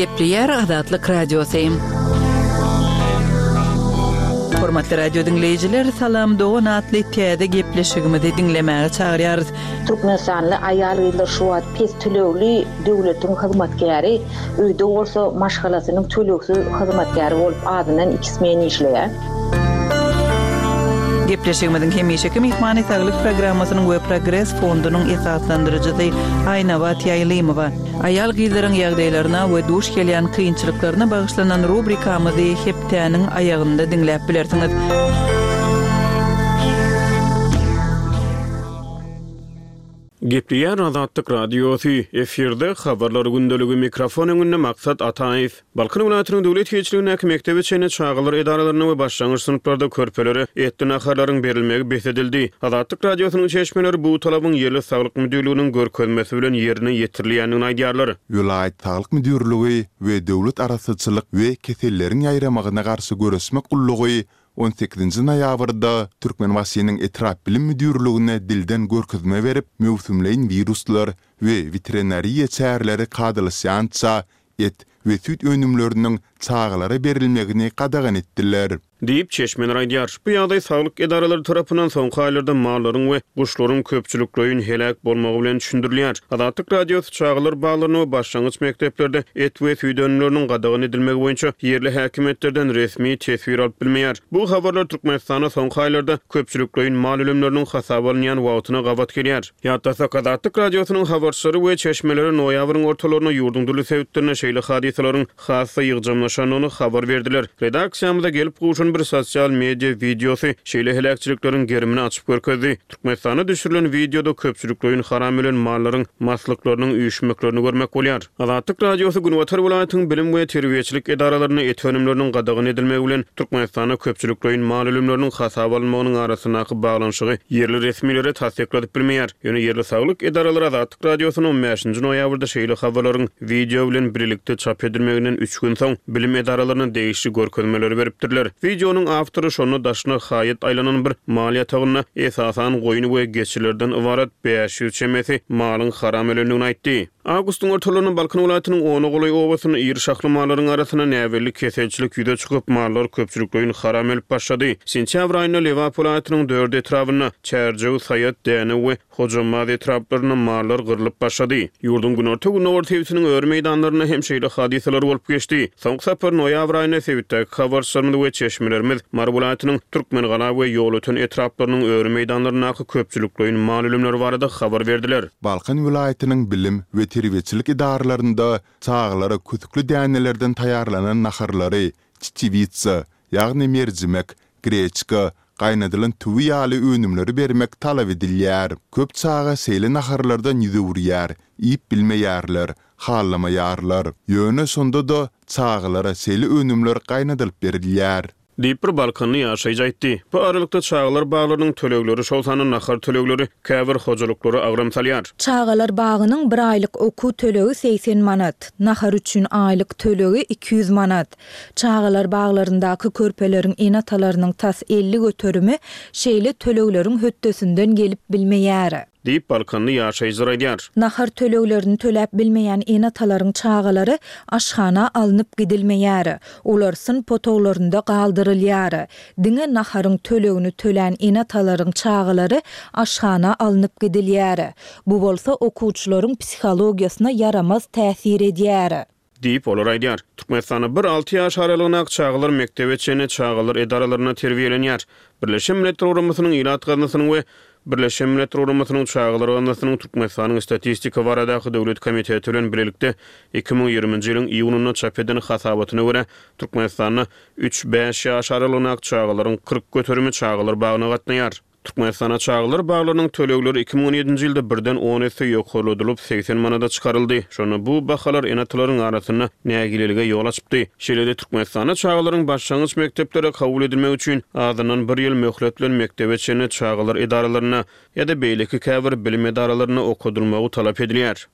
Gepleýär Azatlyk Radiosy. Hormatly radio diňleýjiler, Salam dogan atly täze gepleşigimizi diňlemäge çagyrýarys. Türkmenistanly aýal-gyzlar şu wagt pes tölegli döwletiň hyzmatkäri, öýde bolsa maşgalasynyň tölegsiz hyzmatkäri bolup azyndan iki smen işleýär. Gepleşigimiziň hemişeki myhmany Saglyk programmasynyň we Progres fondunyň esaslandyryjysy Aýnabat Ýaýlymowa. Aýal-gyzlaryň ýagdaýlaryna we duş gelýän kynçylyklaryna bagyşlanan rubrikamyzy hepdäniň aýagynda diňläp bilersiňiz. Gepleýär Azatlyk Radiosy, efirde Habarlar gündeligi, mikrofon öňünde Maksat Ataýew. Balkan welaýatynyň döwlet eýeçiligindäki mekdebe çenli çagalar edaralarynda we başlangyç synplarda körpelere etli naharlaryň berilmegi bes edildi. Azatlyk Radiosynyň çeşmeleri bu talabyň ýerli saglyk müdirliginiň görkezmesi bilen ýerine ýetirilýändigini aýdýarlar. Welaýat saglyk müdirligi we Döwlet arassaçylyk we keselleriň ýaýramagyna garşy göreşmek gullugy on sekizinji noýabrda Türkmenbaşynyň etrap bilim müdirligine dilden görkezme berip, möwsümleýin wiruslar we weterinariýa çäreleri kadalaşýança et we süýt önümleriniň çagalara berilmegini gadagan etdiler. Diýip, çeşmeler aýdýar. Bu ýagdaý saglyk edaralary tarapyndan soňky aýlarda mallaryň we guşlaryň köpçülikleýin heläk bolmagy bilen düşündirilýär. Azatlyk Radiosy çagalar baglarynda we başlangyç mekdeplerde et we süýt önümleriniň gadagan edilmegi boýunça ýerli häkimiýetlerden resmi teswir alyp bilmeýär. Bu habarlar Türkmenistanda soňky aýlarda köpçülikleýin mal ölümleriniň hasaba alynýan wagtyna gabat gelýär. Ýatlasak, Azatlyk Radiosynyň habarçylary we çeşmeleri noýabryň ortalarynda ýurduň dürli sebitlerinde şeýle hadysalaryň has-da ýygjamlaşandygyny habar berdiler. Redaksiýamyza gelip gowşan bir sosial media wideosy şeýle heläkçilikleriň gerimini açyp görkezdi. Türkmenistanda düşürilen wideoda köpçülikleýin haram ölen mallaryň maslyklarynyň üýşmeklerini görmek bolýar. Azatlyk Radiosy günbatar welaýatyň bilim we terbiýeçilik edaralarynda et önümleriniň gadagan edilmegi bilen Türkmenistanda köpçülikleýin mal ölümleriniň hasaba alynmagynyň arasyndaky baglanyşygy ýerli resmilere tassykladyp bilmeýär. Ýöne ýerli saglyk edaralary Azatlyk Radiosyna on bäşinji noýabrda şeýle habarlaryň wideo bilen birlikde çap edilmeginden üç gün soň bilim edaralaryna degişli görkezmeleri beripdirler. Wideonyň awtory şonda daşyna haýat aýlanan bir mal ýatagynda esasan goýun we geçilerden ybarat 500 çemesi malyň haram ölendigini aýtdy. Awgustyň ortalarynda Balkan welaýatynyň ona golaý obasynda iri şahly mallaryň arasynda näbelli keselçilik ýüze çykyp, mallar köpçülikleýin haram ölüp başlady. Sentýabr aýynda Lebap welaýatynyň dört etrabynda, Çärjew, Saýat, Dänew we Hojambaz etraplarynda mallar gyrlyp başlady. Ýurduň günorta-gündogar sebitiniň öri meýdanlarynda hem şeýle hadysalar bolup geçdi. Soňky sapar noýabr aýynda sebitdäki habarçylarymyz we çeşmelerimiz Mary welaýatynyň Türkmengala we Ýolöten etraplarynyň öri meýdanlaryndaky köpçülikleýin mal ölümleri barada habar berdiler. Balkan welaýatynyň bilim we terbiýeçilik edaralarynda çagalara kösükli dänelerden taýýarlanan naharlary, çeçewitsa, ýagny merjimek, greçka, gaýnadylan tüwi ýaly önümleri bermek talap edilýär. Köp çaga şeýle naharlardan ýüz öwürýär, iýip bilmeýärler, halamaýarlar. Ýöne şonda-da çagalara şeýle önümler gaýnadylyp berilýär. Diýip, bir balkanly ýaşaýjy aýtdy. Bu aralykda, çagalar baglarynyň tölegleri, şol sanda nahar tölegleri käbir hojalyklara agram salýar. Çagalar bagynyň bir aýlyk okuw tölegi 80 manat, nahar üçin aýlyk tölegi 200 manat. Çagalar baglaryndaky körpeleriň ene-atalarynyň tas 50 göterimi şeýle tölegleriň hötdesinden gelip bilmeýär. Diýip, balkanly ýaşaýjylar aýdýar. Nahar töleglerini töläp bilmeýän ene-atalaryň çagalary aşhana alnyp gidilmeýär. Olar synp otaglarynda galdyrylýar. Diňe naharyň tölegini tölän ene-atalaryň çagalary aşhana alnyp gidilýär. Bu bolsa okuwçylaryň psihologiýasyna ýaramaz täsir edýär. Diýip, olar aýdýar. Türkmenistanda bir alty ýaş aralygyndaky çagalar mekdebe çenli çagalar edaralarynda terbiýelenýär. Birleşen Milletler Guramasynyň Ilat gaznasynyň we Birleşen Milletler Guramasynyň Çagalar gaznasynyň Türkmenistanyň Statistika baradaky döwlet komiteti bilen bilelikde 2020-nji ýylyň iýunynda çap eden hasabatyna görä, Türkmenistanda üç-bäş ýaş aralygyndaky çagalaryň 40 göterimi çagalar bagyna gatnaýar. Türkmenistanda çagalar baglarynyň tölegleri 2017-nji ýylda birden on esse ýokarladylyp, 80 manada çykaryldy. Şonda bu bahalar ene-atalaryň arasynda nägilelige ýol açypdy. Şeýle-de Türkmenistanda çagalaryň başlangyç mekdeplere kabul edilmegi üçin azyndan bir ýyl möhlet bilen mekdebe çenli çagalar edaralarynda ýa-da beýleki käbir bilim edaralarynda okadylmagy talap edilýär.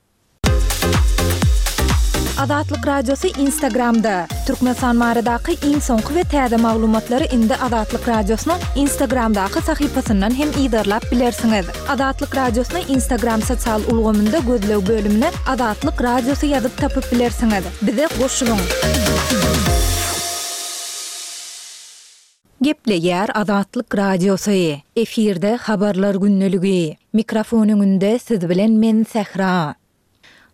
Azatlyk Radiosy Instagramda! Türkmenistan baradaky iň soňky we täze maglumatlary indi Azatlyk Radiosynyň Instagramdaky sahypasyndan hem yzarlap bilersiňiz. Azatlyk Radiosyny Instagram sosial ulgamynda gözleg bölümine Azatlyk Radiosy ýazyp tapyp bilersiňiz. Bize goşulyň! Gepleýär Azatlyk Radiosy, efirde Habarlar gündeligi. Mikrofon öňünde siz bilen men Sähra.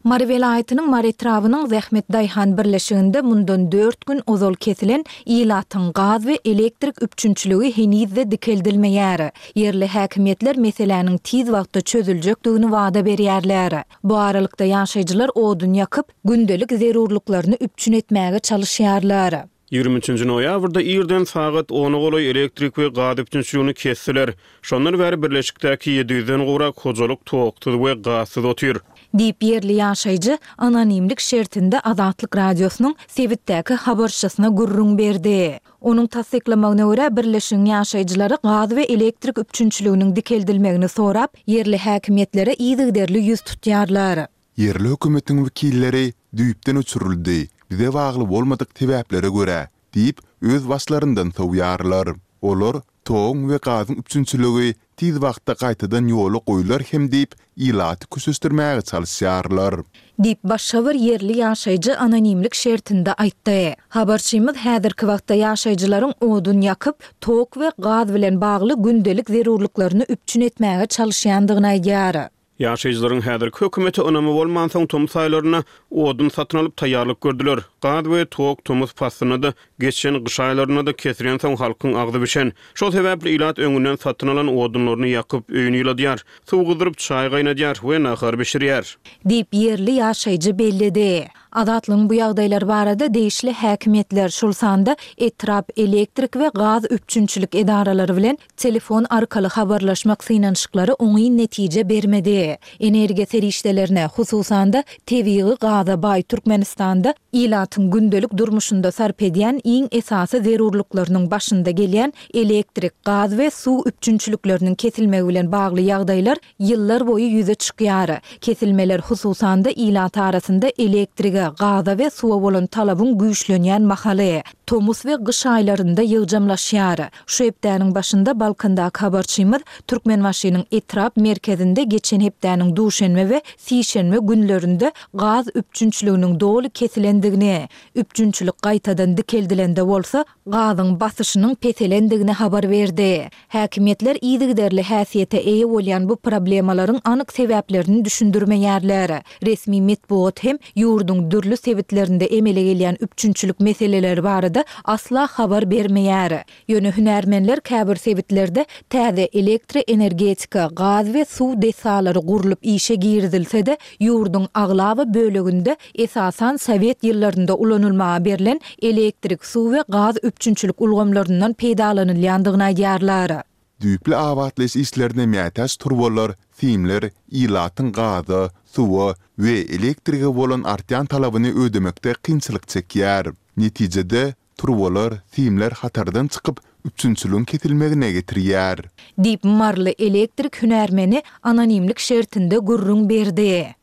Mary welaýatynyň Mary etrabynyň Zähmet daýhan birleşiginde mundan dört gün ozal kesilen ilatyň gaz we elektrik üpjünçiligi heniz-de dikeldilmeýär. Ýerli häkimiýetler meseläniň tiz wagtda çözüljekdigini wada berýärler. Bu aralykda ýaşaýjylar odun ýakyp, gündelik zerurlyklaryny üpjün etmäge çalyşýarlar. 23-nji noýabrda irden sagat ona golaý elektrik we gaz üpjünçiligini kesdiler. Şondan bäri birleşikdäki 700-den gowrak hojalyk toksuz we gazsyz otyr. Diýip, ýerli ýaşaýjy anonimlik şertinde Azatlyk Radiosynyň sebitdäki habarçysyna gürrüň berdi. Onuň tassyklamagyna görä, birleşigiň ýaşaýjylary gaz we elektrik üpjünçiliginiň dikeldilmegini sorap, ýerli häkimiýetlere yzygiderli ýüz tutýarlar. Ýerli hökümetiň wekilleri düýpden öçürildi, bize bagly bolmadyk sebäplere görä diýip, öz başlaryndan sowýarlar. Olar toguň we gazyň üpjünçiligi tiz wagtda gaýtadan ýola goýlar hem diýip, ilaty köşeşdirmäge çalyşýarlar. Diýip, başga bir ýerli ýaşaýjy anonimlik şertinde aýtdy. Habarçymyz häzirki wagtda ýaşaýjylaryň odun ýakyp, tok we gaz bilen bagly gündelik zerurlyklaryny üpjün etmäge çalyşýandygyny aýdýar. Ýaşaýjylaryň häzirki hökümete ynamy bolmansoň, tomus aýlarynda odun satyn alyp taýýarlyk gördüler. Gaz we tok tomus paslynda-da, geçen gyş aýlarynda-da kesilensoň halkyň agzy bişen. Şol sebäpli ilat öňünden satyn alan odunlaryny ýakyp, öýüni ýyladýar, suw gyzdyryp çaý gaýnadýar we nahar bişirýär. Diýip, ýerli ýaşaýjy belledi. Azatlygyň bu ýagdaýlar barada degişli häkimiýetler, şol sanda etrap elektrik we gaz üpjünçilik edaralary bilen Telefon arkaly habarlaşmak synanyşyklary oňyn netije bermedi. Energiýa serişdelerine, hususan-da, tebigy gaza baý Türkmenistanda ilatyň gündelik durmuşynda sarp edýän iň esasy zerurlyklarynyň başynda gelýän elektrik, gaz we suw üpjünçilikleriniň kesilmegi bilen bagly ýagdaýlar ýyllar boýy ýüze çykýar. Kesilmeler, hususan-da, ilat arasynda elektrige, gaza we suwa bolan talabyň güýçlenýän mahaly, tomus we gyş aýlarynda ýygjamlaşýar. Şu hepdäniň başynda Balkandaky habarçymyz Türkmenbaşynyň etrap merkezinde geçen hepdäniň duşenbe we sişenbe günlerinde gaz üpjünçiliginiň doly kesilendigini, üpjünçilik gaýtadan dikeldilende bolsa, gazyň basyşynyň peselendigini habar berdi. Häkimiýetler yzygiderli häsiýete eýe bolýan bu problemalaryň anyk sebäplerini düşündirmeýärler. Resmi metbugat hem ýurduň dürli sebitlerinde emele gelýän üpjünçilik meseleleri barada asla habar bermeýär. Ýöne hünärmenler käbir sebitlerde täze elektroenergetika, gaz we suw desgalary gurlup işe girizilse-de, ýurduň aglaba böleginde esasan sowet ýyllarynda ulanylmaga berlen elektrik, suw we gaz üpjünçilik ulgamlaryndan peýdalanylýandygyny aýdýarlar. Düýpli abatlaýyş işlerine mätäç turbalar, simler ilatyň gaza, suwa we elektrige bolan artýan talabyny ödemekde kynçylyk çekýär. Netijede, turbalar, simler hatardan çykyp, üpjünçiligiň kesilmegine getirýär. Diýip, maryly elektrik hünärmeni anonimlik şertinde gürrüň berdi.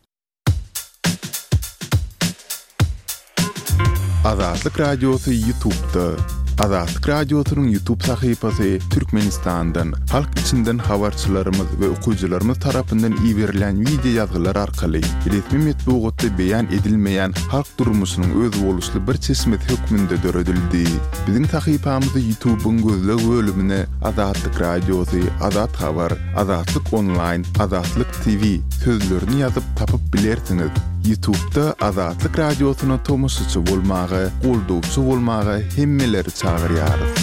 Azatlyk Radiosy Ýutubda. Azatlyk Radiosynyň Ýutub sahypasy Türkmenistandan, halk içinden habarçylarymyz we okyjylarymyz tarapyndan iberilen wideo ýazgylar arkaly resmi metbugatda beýan edilmeýän halk durmuşynyň özboluşly bir çeşmesi hökmünde döredildi. Biziň sahypamyzy Ýutubyň gözleg bölümine Azatlyk Radiosy, Azat Habar, Azatlyk Onlaýn, Azatlyk TV sözlerini ýazyp tapyp bilersiňiz. Ýutubda Azatlyk Radiosyna tomaşaçy bolmaga, goldawçy bolmaga hemmeleri çagyrýarys.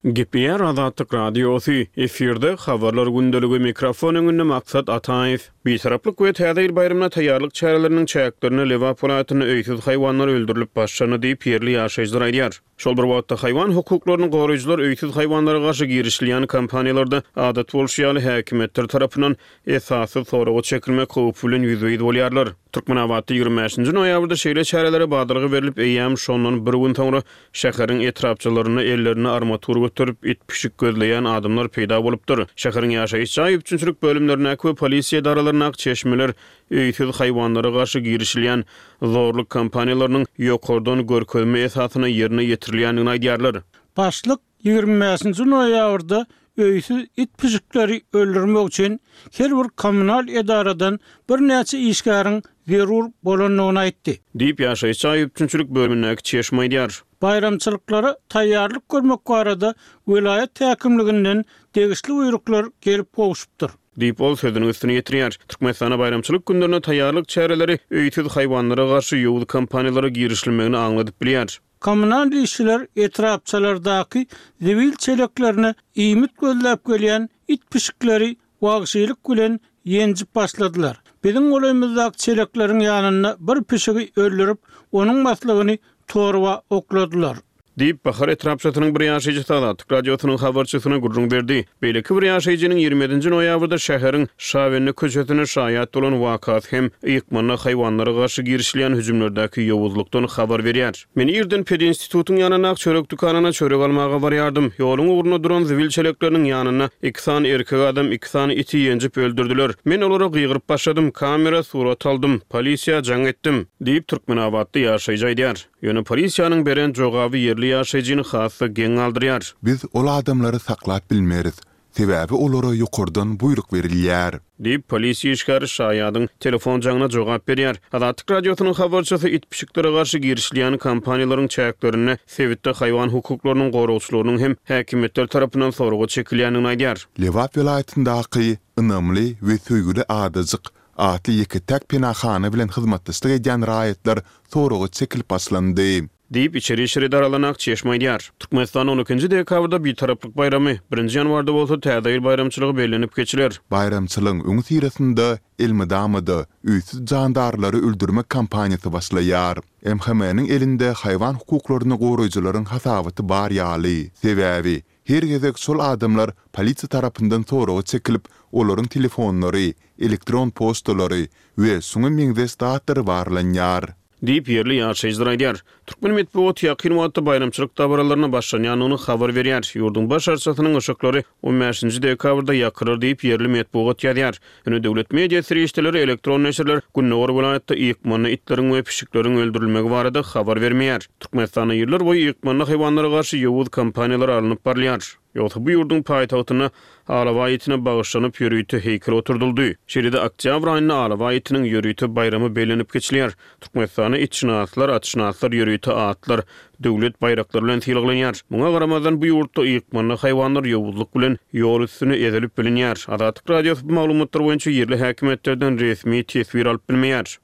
Gepleýär Azatlyk Radiosy, efirde Habarlar gündeligi, mikrofon öňünde Maksat Ataýew. Bitaraplyk we Täze ýyl baýramyna taýýarlyk çäreleriniň çäklerinde Lebap welaýatynda öýsüz haýwanlar öldürilip başlandy diýip, ýerli ýaşaýjylar aýdýar. Şol bir wagtda, haýwan hukuklaryny goraýjylar öýsüz haýwanlara garşy girişilýän kampaniýalarda, adat bolşy ýaly, häkimiýetler tarapyndan esassyz soraga çekilmek howpy bilen ýüzbe-ýüz bolýarlar. Türkmenabatda 25 nji noýabrda şeýle çärelere badalga berlip, eýýäm şondan bir gün soňra şäheriň etrapçalarynda ellerinde armatur göterip, it-pişik gözleýän adamlar peýda bolupdyr. Şäheriň ýaşaýyş jaý üpjünçilik bölümlerindäki we polisiýa edaralaryndaky çeşmeler öýsüz haýwanlara garşy girişilýän zorluk kampaniýalarynyň ýokardan görkezme esasynda ýerine ýetirilýändigini aýdýarlar. Başlyk 25 nji noýabrda öýsüz it-pişikleri öldürmek üçin her bir kommunal edaradan birnäçe işgäriň zerur bolandygyny aýtdy. Diýip, ýaşaýyş jaý üpjünçilik bölümindäki çeşme aýdýar. Baýramçylyklara taýýarlyk görmek barada welaýat häkimliginden degişli buýruklar gelip gowşupdyr. Diýip, ol sözüniň üstüni ýetirýär. Türkmenistanda baýramçylyk günlerine taýýarlyk çäreleri öýsüz haýwanlara garşy ýowuz kampaniýalara girişilmegini aňladyp bilýär. Kommunal işçiler etrapçalardaky zibil çeleklerine iýmit gözläp gelýän it-pişikleri wagşylyk bilen ýenjip başladylar. Biziň golaýymyzdaky çelekleriň ýanynda bir pişigi öldürip, onuň maslygyny torba okladylar. Diýip, Bahar etrapçasynyň bir ýaşaýjysy Azatlyk Radiosynyň habarçysyna gürrüň berdi. Beýleki bir ýaşaýjynyň 27 nji noýabrda şäheriň Şabende köçesinde şaýat bolan wakasy hem ykmanda haýwanlara garşy girişilýän hüjümlerdäki ýowuzlykdan habar berýär. Men irden pedinstitutyň ýanyndaky çörek dükanyna çörek almaga barýardym. Ýoluň ugrunda duran zibil çelekleriniň ýanynda iki sany erkek adam iki sany iti ýenjip öldürdiler. Men olara gygyryp başladym, kamera surat aldym, polisiýa jaň etdim. Diýip, türkmenabatly ýaşaýjy aýdýar. Ýöne polisiýanyň beren jogaby ýerli ýaşaýjyny has-da geň galdyrýar. Biz ol adamlary saklap bilmeris, sebäbi olara ýokardan buýruk berilýär. Diýip, polisiýa işgäri şaýadyň telefon jaňyna jogap berýär. Azatlyk Radiosynyň habarçysy it-pişiklere garşy girişilýän kampaniýalaryň çäklerinde sebitde haýwan hukuklarynyň goragçylarynyň hem häkimiýetler tarapyndan soraga çekilýändigini aýdýar. Lebap welaýatyndaky Ynamly we söýgüli adajyk atly ýeke-täk penahana bilen hyzmatdaşlyk edýän raýatlar soraga çekilip başlandy. Diýip, içeri işler edaralaryna çeşme aýdýar. Türkmenistanda on ikinji dekabrda Bitaraplyk baýramy, birinji ýanwarda bolsa Täze ýyl baýramçylygy bellenip geçiler. Baýramçylygyň öňüsyrasynda elmydama-da öýsüz jandarlary öldürmek kampaniýasy başlaýar. MHM-niň elinde haýwan hukuklaryny goraýjylaryň hasabaty bar ýaly. Sebäbi, Her gezek şol adamlar polisiýa tarapyndan soraga çekilip, olaryň telefonlary, elektron poçtalary we şuňa meňzeş zatlary barlanýar. Diýip, ýerli ýaşaýjylar aýdýar. Türkmen metbugaty ýakyn wagtda baýramçylyk dabaralaryna başlanýandygyny habar berýär. Ýurduň baş arçasynyň yşyklary on bäşinji dekabrda ýakylar diýip, ýerli metbugat ýazýar. Ýöne döwlet media serişdeleri, elektron neşirler gündogar welaýatda ýykmanda itleriň we pişikleriň öldürilmegi barada habar bermeýär. Türkmenistanda ýyllar boýy ýykmanda haýwanlara garşy ýowuz kampaniýalar alnyp barylýar. Ýogsa bu ýurduň paýtagtynda alabaý itine bagyşlanyp ýörite heýkel oturdyldy. Şeýle-de oktýabr aýynda alabaý itiniň ýörite baýramy bellenip geçilýär. Türkmenistanda itşynaslar, atşynaslar ýörite atlar, döwlet baýraklary bilen sylaglanýar. Muňa garamazdan, bu ýurtda ykmanda haýwanlar ýowuzlyk bilen ýol üstünde ezilip bilinýär. Azatlyk Radiosy bu maglumatlar boýunça ýerli häkimiýetlerden resmi teswir alyp bilmeýär.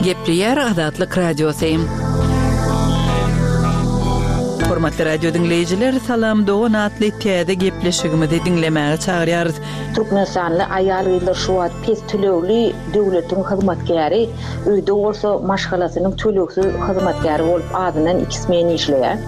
Gepleýär Azatlyk Radiosy. Hormatly radio diňleýjiler, Salam dogan atly täze gepleşigimizi diňlemäge çagyrýarys. Türkmenistanly aýal-gyzlar şu wagt pes tölegli döwletiň hyzmatkäri, öýde bolsa maşgalasynyň tölegsiz hyzmatkäri bolup azyndan iki smen işleýär.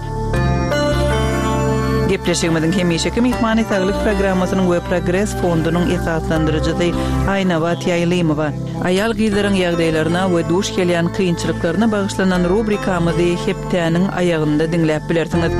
Gepleşigimiziň hemişeki myhmany Saglyk programmasynyň we Progres fondunyň esaslandyryjysy Aýnabat Ýaýlymowa. Aýal-gyzlaryň ýagdaýlaryna we duş gelýän kynçylyklaryna bagyşlanan rubrikamyzy hepdäniň aýagynda diňläp bilersiňiz.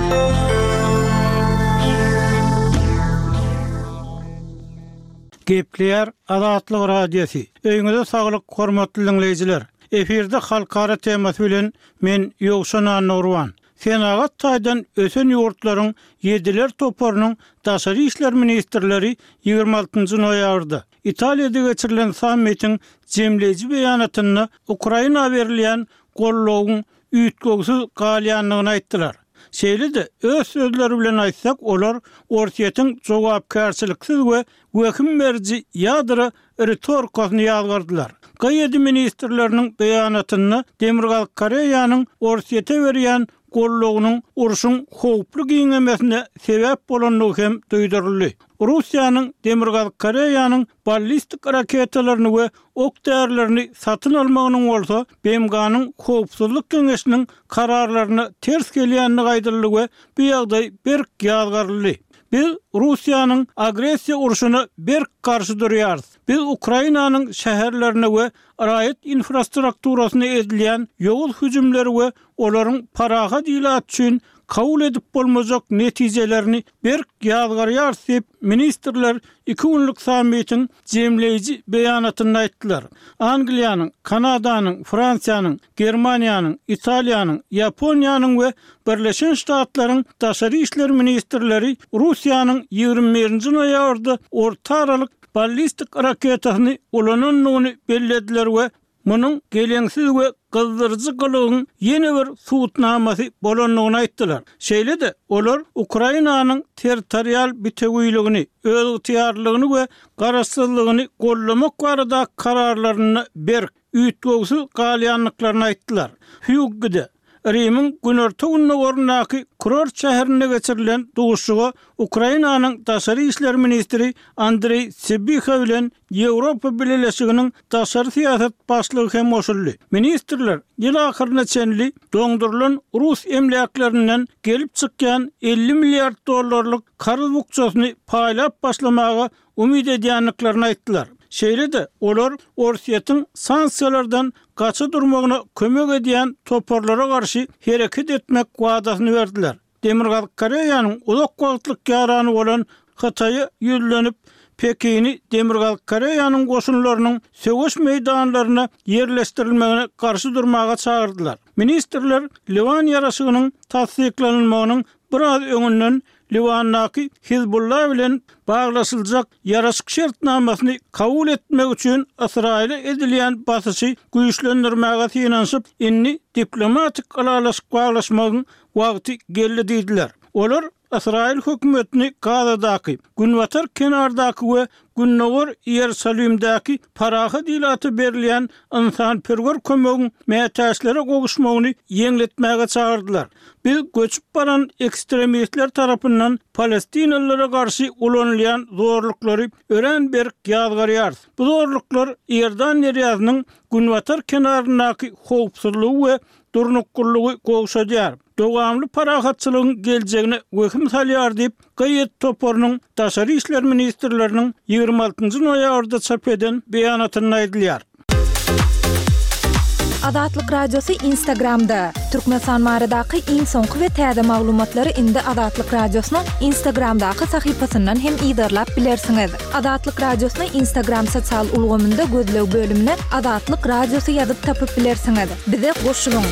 Gepleýär Azatlyk Radiosy. Öýüňize saglyk hormatly diňleýjiler. Efirde halkara temasy bilen men Ýowşan Annagurban. Senagat taýdan ösen ýurtlaryň Ýediler toparynyň daşary işler ministrleri 26 noýabrda Italiýada geçirilen sammitiň jemleýji beýanatynda Ukraina berilýän goldawyň üýtgewsiz galýandygyny aýtdylar. Şeýle-de, öz sözleri bilen aýtsak, olar Orsýetiň jogapkärçiliksiz we wehim beriji ýadro ritorikasyny ýazgardylar. GD ministrleriniň beýanatynda Demirgazyk Koreýanyň Orsýete berýän. goldawynyň urşuň howply giňemesine sebäp bolandygy hem duýduryldy. Russiýanyň Demirgazyk Koreýanyň ballistik raketalaryny we ok-därilerini satyn almagynyň bolsa BMG-niň Howpsuzlyk Geňeşiniň kararlaryna ters gelýändigi aýdyldy we bu ýagdaý berk ýazgaryldy. Biz Russiýanyň agressiýa urşuna berk garşy durýarys. Biz Ukrainanyň şäherlerine we raýat infrastrukturasyna edilýän ýowuz hüjümleri we olaryň parahat ilat üçin kabul edip bolmajak netijelerini berk ýazgarýarys diýip, ministrler iki günlük sammitiň jemleýji beýanatynda aýtdylar. Angliýanyň, Kanadanyň, Fransiýanyň, Germaniýanyň, Italiýanyň, Ýaponiýanyň we Birleşen Ştatlaryň daşary işler ministrleri Russiýanyň 21 nji noýabrda orta aralyk ballistik raketasyny ulanandygyny bellediler we munuň geleňsiz we gyzdyryjy gylygyň ýene bir subutnamasy bolandygyny aýtdylar. Şeýle-de, olar Ukrainanyň territorial bitewiligini, özygtyýarlylygyny we garaşsyzlygyny goldamak baradaky kararlarynda berk, üýtgewsiz galýandyklaryny aýtdylar. Hýuggide, Rimiň günorta-gündogaryndaky kurort şäherinde geçirilen duşuşyga Ukrainanyň daşary işler ministri Andreý Sybiha bilen Ýewropa Bileleşiginiň daşary syýasat başlygy hem goşuldy. Ministrler ýyl ahyryna çenli doňdurylan rus emläklerinden gelip çykýan 50 milliard dollarlyk karz bukjasyny paýlap başlamaga umyt edýändiklerini aýtdylar. Şeýle-de, olar Orsýetiň sanksiýalardan gaça durmagyna kömek edýän toparlara garşy hereket etmek wadasyny berdiler. Demirgazyk Koreýanyň uzak wagtlyk ýarany bolan Hytaýa ýüzlenip, Pekini Demirgazyk Koreýanyň goşunlarynyň söweş meýdanlaryna ýerleşdirilmegine garşy durmaga çagyrdylar. Ministrler Liwan ýaraşygynyň tassyklanylmagynyň biraz öňünden Liwandaky Hizbulla bilen baglaşyljak ýaraşyk şertnamasyny kabul etmek üçin Ysraýyla edilýän basyşy güýçlendirmäge synanyşyp, indi diplomatik ylalaşyk baglaşmagyň wagty geldi diýdiler. Olar Ysraýyl hökümetini Gazadaky, Günbatar kenardaky we Gündogar Iýerusalimdäki parahat ilata berilýän ynsanperwer kömegiň mätäçlere gowuşmagyny ýeňletmäge çagyrdylar. Biz göçüp baran ekstremistler tarapyndan palestinalylara garşy ulanylýan zorluklary örän berk ýazgarýarys. Bu zorluklar Iordan derýasynyň günbatar kenaryndaky howpsuzlygy we durnuklylygy gowşadýar. Dowamly parahatçylygyň geljegine wehim salýar diýip, GIED toparynyň daşary işler ministrleriniň 26 nji noýabrda çap eden beýanatynda aýdylýar. Azatlyk Radiosy Instagramda, Türkmenistan baradaky iň soňky we täze maglumatlary indi Azatlyk Radiosynyň Instagramdaky sahypasyndan hem yzarlap bilersiňiz. Azatlyk Radiosyny Instagram sosial ulgamynda gözleg bölümine Azatlyk Radiosy ýazyp tapyp bilersiňiz. Bize goşulyň!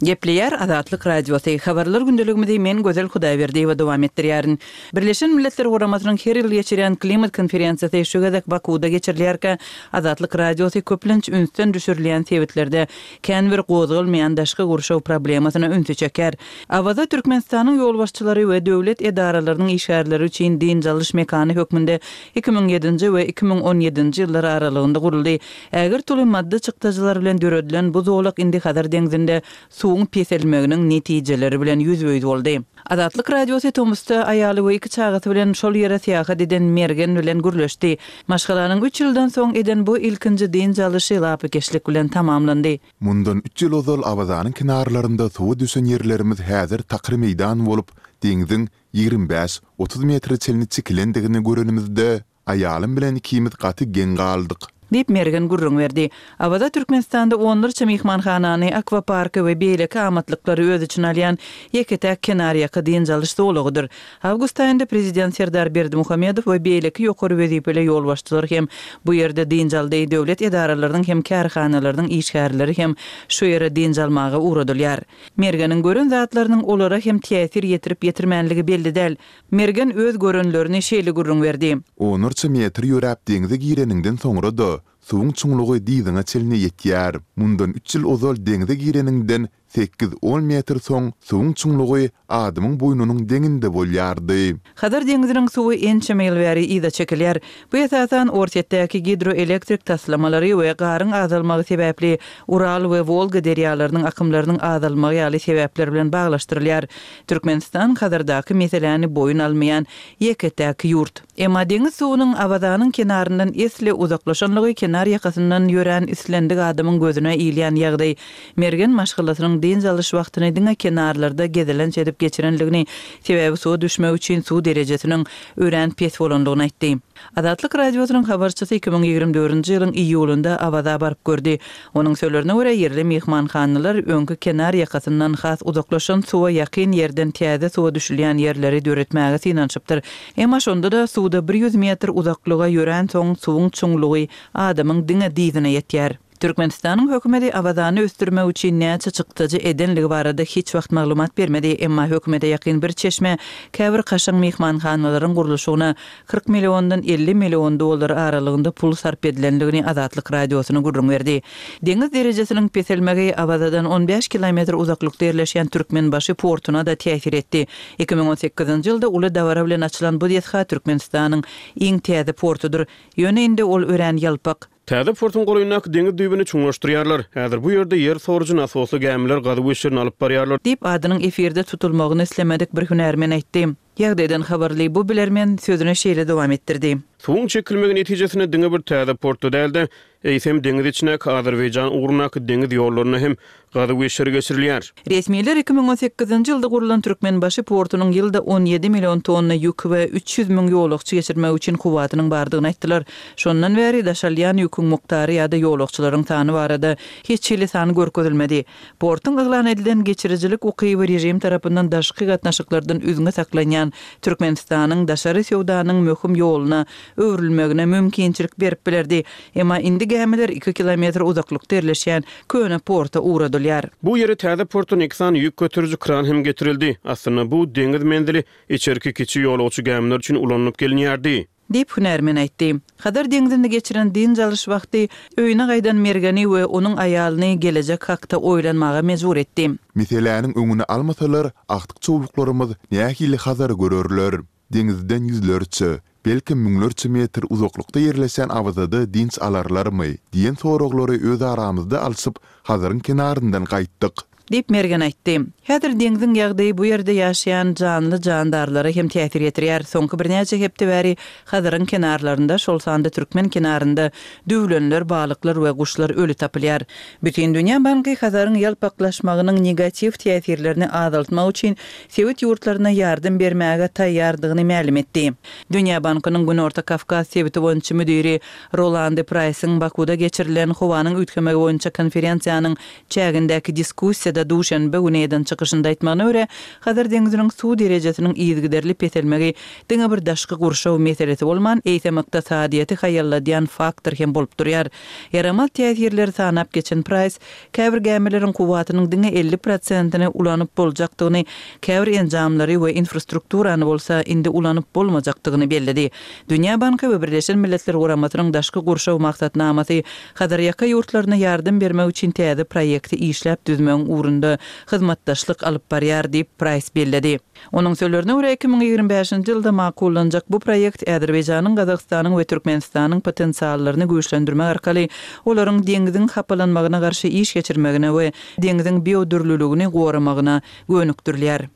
Gepleýär Azatlyk Radiosy. Habarlar gündeligimizi men Gözel Hudaýberdiýewa dowam etdirýärin. Birleşen Milletler Guramasynyň her ýyl geçirýän klimat konferensiýasy şu gezek Bakuwda geçirilýärkä, Azatlyk Radiosy köplenç ünsden düşürilýän sebitlerde kän bir gozgalmaýan daşky gurşaw problemasyna ünsi çekýär. Awaza Türkmenistanyň ýolbaşçylary we döwlet edaralarynyň işgärleri üçin dynç alyş mekany hökmünde 2007-nji we 2017-nji ýyllar aralygynda guruldy. Ägirt uly maddy çykdajylar bilen döredilen bu zolak indi Hazar deňzinde suwuň peselmeginiň netijeleri bilen ýüzbe-ýüz boldy. Azatlyk Radiosy tomusda aýaly we iki çagasy bilen şol ýere syýahat eden Mergen bilen gürleşdi. Maşgalanyň üç ýyldan soň eden bu ilkinji dynç alyşy lapykeçlik bilen tamamlandy. Mundan üç ýyl ozal Awazanyň kenarlarynda suwa düşen ýerlerimiz häzir takyr meýdan bolup, deňziň 25, 30 metre çenli çekilendigini görenimizde, aýalym bilen ikimiz gaty geň galdyk. Diýip, Mergen gürrüň berdi. Awaza Türkmenistanda onlarça myhmanhanany, akwaparky we beýleki amatlyklary öz içine alýan ýeke-täk kenarýaka dynç alyş zolagydyr. Awgust aýynda Prezident Serdar Berdimuhamedow we beýleki ýokary wezipeli ýolbaşçylar hem bu ýerde dynç aldy, döwlet edaralarynyň hem kärhanalarynyň işgärleri hem şu ýere dynç almaga ugradylýar. Mergeniň gören zatlarynyň olara hem täsir ýetirip-ýetirmänligi belli däl. Mergen öz görenlerini şeýle gürrüň berdi. Onlarça metr ýöräp deňze gireniňden soňra-da, suwuň çuňlugy dyzyňa çenli ýetýär. Mundan üç ýyl ozal deňze gireniňden. Sekiz-on metr soň suwuň çuňlugy adamyň boýnunyň deňinde bolýardy. Hazar deňziniň suwy ençeme ýyl bäri yza çekilýär. Bu esasan Orsýetdäki gidroelektrik taslamalary we garyň azalmagy sebäpli Ural we Wolga derýalarynyň akymlarynyň azalmagy ýaly sebäpler bilen baglaşdyrylýar. Türkmenistan Hazardaky meseläni boýun almaýan ýeke-täk ýurt. Emma deňiz suwunyň Awazanyň kenaryndan esli uzaklaşanlygy kenar ýakasyndan ýörän islendik adamyň gözüne ilýän ýagdaý. Mergen maşgalasynyň dynç alyş wagtyny diňe kenarlarda gezelenç edip geçirenligini, sebäbi suwa düşmek üçin suw derejesiniň örän pes bolanlygyny aýtdy. Azatlyk Radiosynyň habarçysy 2024-nji ýylyň iýulynda Awaza baryp gördi. Onuň sözlerine görä, ýerli myhmanhanalar öňki kenar ýakasyndan has uzaklaşan suwa ýakyn ýerden täze suwa düşülýän ýerleri döretmäge synanyşypdyr. Emma şonda-da suwda bir ýüz metr uzaklyga ýöränsoň suwuň çuňlugy adamyň diňe dyzyna ýetýär. Türkmenistanyň hökümeti Awazany ösdürmek üçin näçe çykdajy edenligi barada hiç wagt maglumat bermedi, emma hökümete ýakyn bir çeşme käbir kaşaň myhmanhanalaryň gurluşygyna 40 milliondan 50 million dollar aralygynda pul sarp edilendigini Azatlyk Radiosyna gürrüň berdi. Deňiz derejesiniň peselmegi Awazadan on bäş kilometr uzaklykda ýerleşýän Türkmenbaşy portuna-da täsir etdi. 2018-nji ýylda uly dabara bilen açylan bu desga Türkmenistanyň iň täze portudyr. Ýöne indi ol örän ýalpak. Täze portuň golaýyndaky deňiz düýbüni çuňlaşdyrýarlar. Häzir bu ýerde ýer sorujy nasosly gämiler gazuw işlerini alyp barýarlar. Diýip, adynyň efirde tutulmagyny islemedik bir hünärmen aýtdy. Ýagdaýdan habarly bu bilermen sözüni şeýle dowam etdirdi. Suwuň çekilmegi netijesinde diňe bir täze portda däl-de, eýsem, deňiz içindäki Azerbaýjan ugrundaky deňiz ýollarynda hem gazuw işleri geçirilýär. Resmiler 2018-nji ýylda gurlan Türkmenbaşy portunyň ýylda 17 million tonna ýük we 300 müň ýolagçy geçirmek üçin kuwwatynyň bardygyny aýtdylar. Şondan bäri daşalýan ýüküň mukdary ýa-da ýolagçylaryň sany barada hiç hili san görkezilmedi. Portuň yglan edilen geçirijilik ukyby režim tarapyndan daşky gatnaşyklardan üzňe saklanýan Türkmenistanyň daşary söwdanyň möhüm ýoluna öwrülmegine mümkinçilik berip bilerdi. Emma indi gämiler iki kilometr uzaklykda ýerleşýän köne porta ugradylýar. Bu ýere täze portdan iki sany ýük göteriji kran hem getirildi. Aslynda bu deňiz menzili içerki kiçi ýolagçy gämiler üçin ulanylyp gelinýärdi. Diýip, hünärmen aýtdy. Hazar deňzinde geçiren dynç alyş wagty öýüne gaýdan Mergeni we onuň aýalyny gelejek hakda oýlanmaga mejbur etdi. Meseläniň öňüni almasalar, agtyk-çowluklarymyz nähili Hazary görerler? Deňizden ýüzlerçe, belkem müňlerçe metr uzaklykda ýerleşen Awazada dynç alarlarmy? diýen soraglary öz aramyzda alşyp, Hazaryň kenaryndan gaýtdyk. Diýip, Mergen aýtdy. Häzir deňziň ýagdaýy bu ýerde ýaşaýan janly-jandarlara hem täsir ýetirýär. Soňky birnäçe hepde bäri Hazaryň kenarlarynda, şol sanda türkmen kenarynda düwlenler, balyklar we guşlar öli tapylýar. Bütindünýä banky Hazaryň ýalpaklaşmagynyň negatiw täsirlerini azaltmak üçin sebit ýurtlaryna ýardam bermäge taýýardygyny mälim etdi. Dünýä bankynyň Günorta Kawkaz sebiti boýunça müdiri Rolande Praýsyň Bakuda geçirilen howanyň üýtgemegi boýunça konferensiýanyň çägindäki diskussiýada duşenbe güni eden çykyşynda aýtmagyna görä, Hazar deňziniň suw derejesiniň yzygiderli peselmegi diňe bir daşky gurşaw meselesi bolman, eýsem ykdysadyýeti haýalladýan faktor hem bolup durýar. Ýaramaz täsirleri sanap geçen Praýs, käbir gämileriň kuwwatynyň diňe 50 prosentini ulanyp boljakdygyny, käbir enjamlary we infrastrukturany bolsa indi ulanyp bolmajakdygyny belledi. Dünýä banky we Birleşen Milletler Guramasynyň Daşky gurşaw maksatnamasy Hazarýaka ýurtlaryna ýardam bermek üçin täze proýekti işläp düzmegiň ugrunda hyzmatdaşlyk alyp barýar diýip, Praýs belledi. Onuň sözlerine görä, 2025-nji ýylda makullanjak bu proýekt Azerbaýjanyň, Gazagystanyň we Türkmenistanyň potensiallaryny güýçlendirmek arkaly olaryň deňziň hapalanmagyna garşy iş geçirmegine we deňziň biodürlüligini goramagyna gönükdirilýär.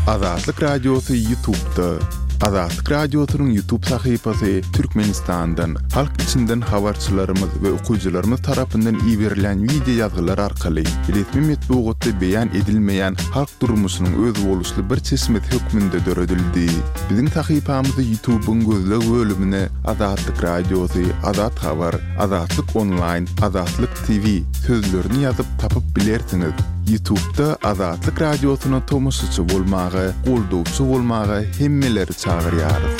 Azatlyk Radiosy Ýutubda. Azatlyk Radiosynyň Ýutub sahypasy Türkmenistandan, halk içinden habarçylarymyz we okyjylarymyz tarapyndan iberilen wideo ýazgylar arkaly resmi metbugatda beýan edilmeýän halk durmuşynyň özboluşly bir çeşmesi hökmünde döredildi. Biziň sahypamyzy Ýutubyň gözleg bölümine Azatlyk Radiosy, Azat Habar, Azatlyk Onlaýn, Azatlyk TV sözlerini ýazyp tapyp bilersiňiz. Ýutubda Azatlyk Radiosyna tomaşaçy bolmaga, goldawçy bolmaga hemmeleri çagyrýarys.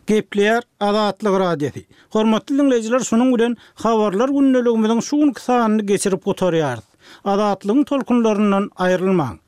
Gepleýär Azatlyk Radiosy. Hormatly diňleýjiler şunuň bilen Habarlar gündeligimiziň şu günki sanyny geçirip gutarýarys. Azatlygyň tolkunlaryndan aýrylmaň.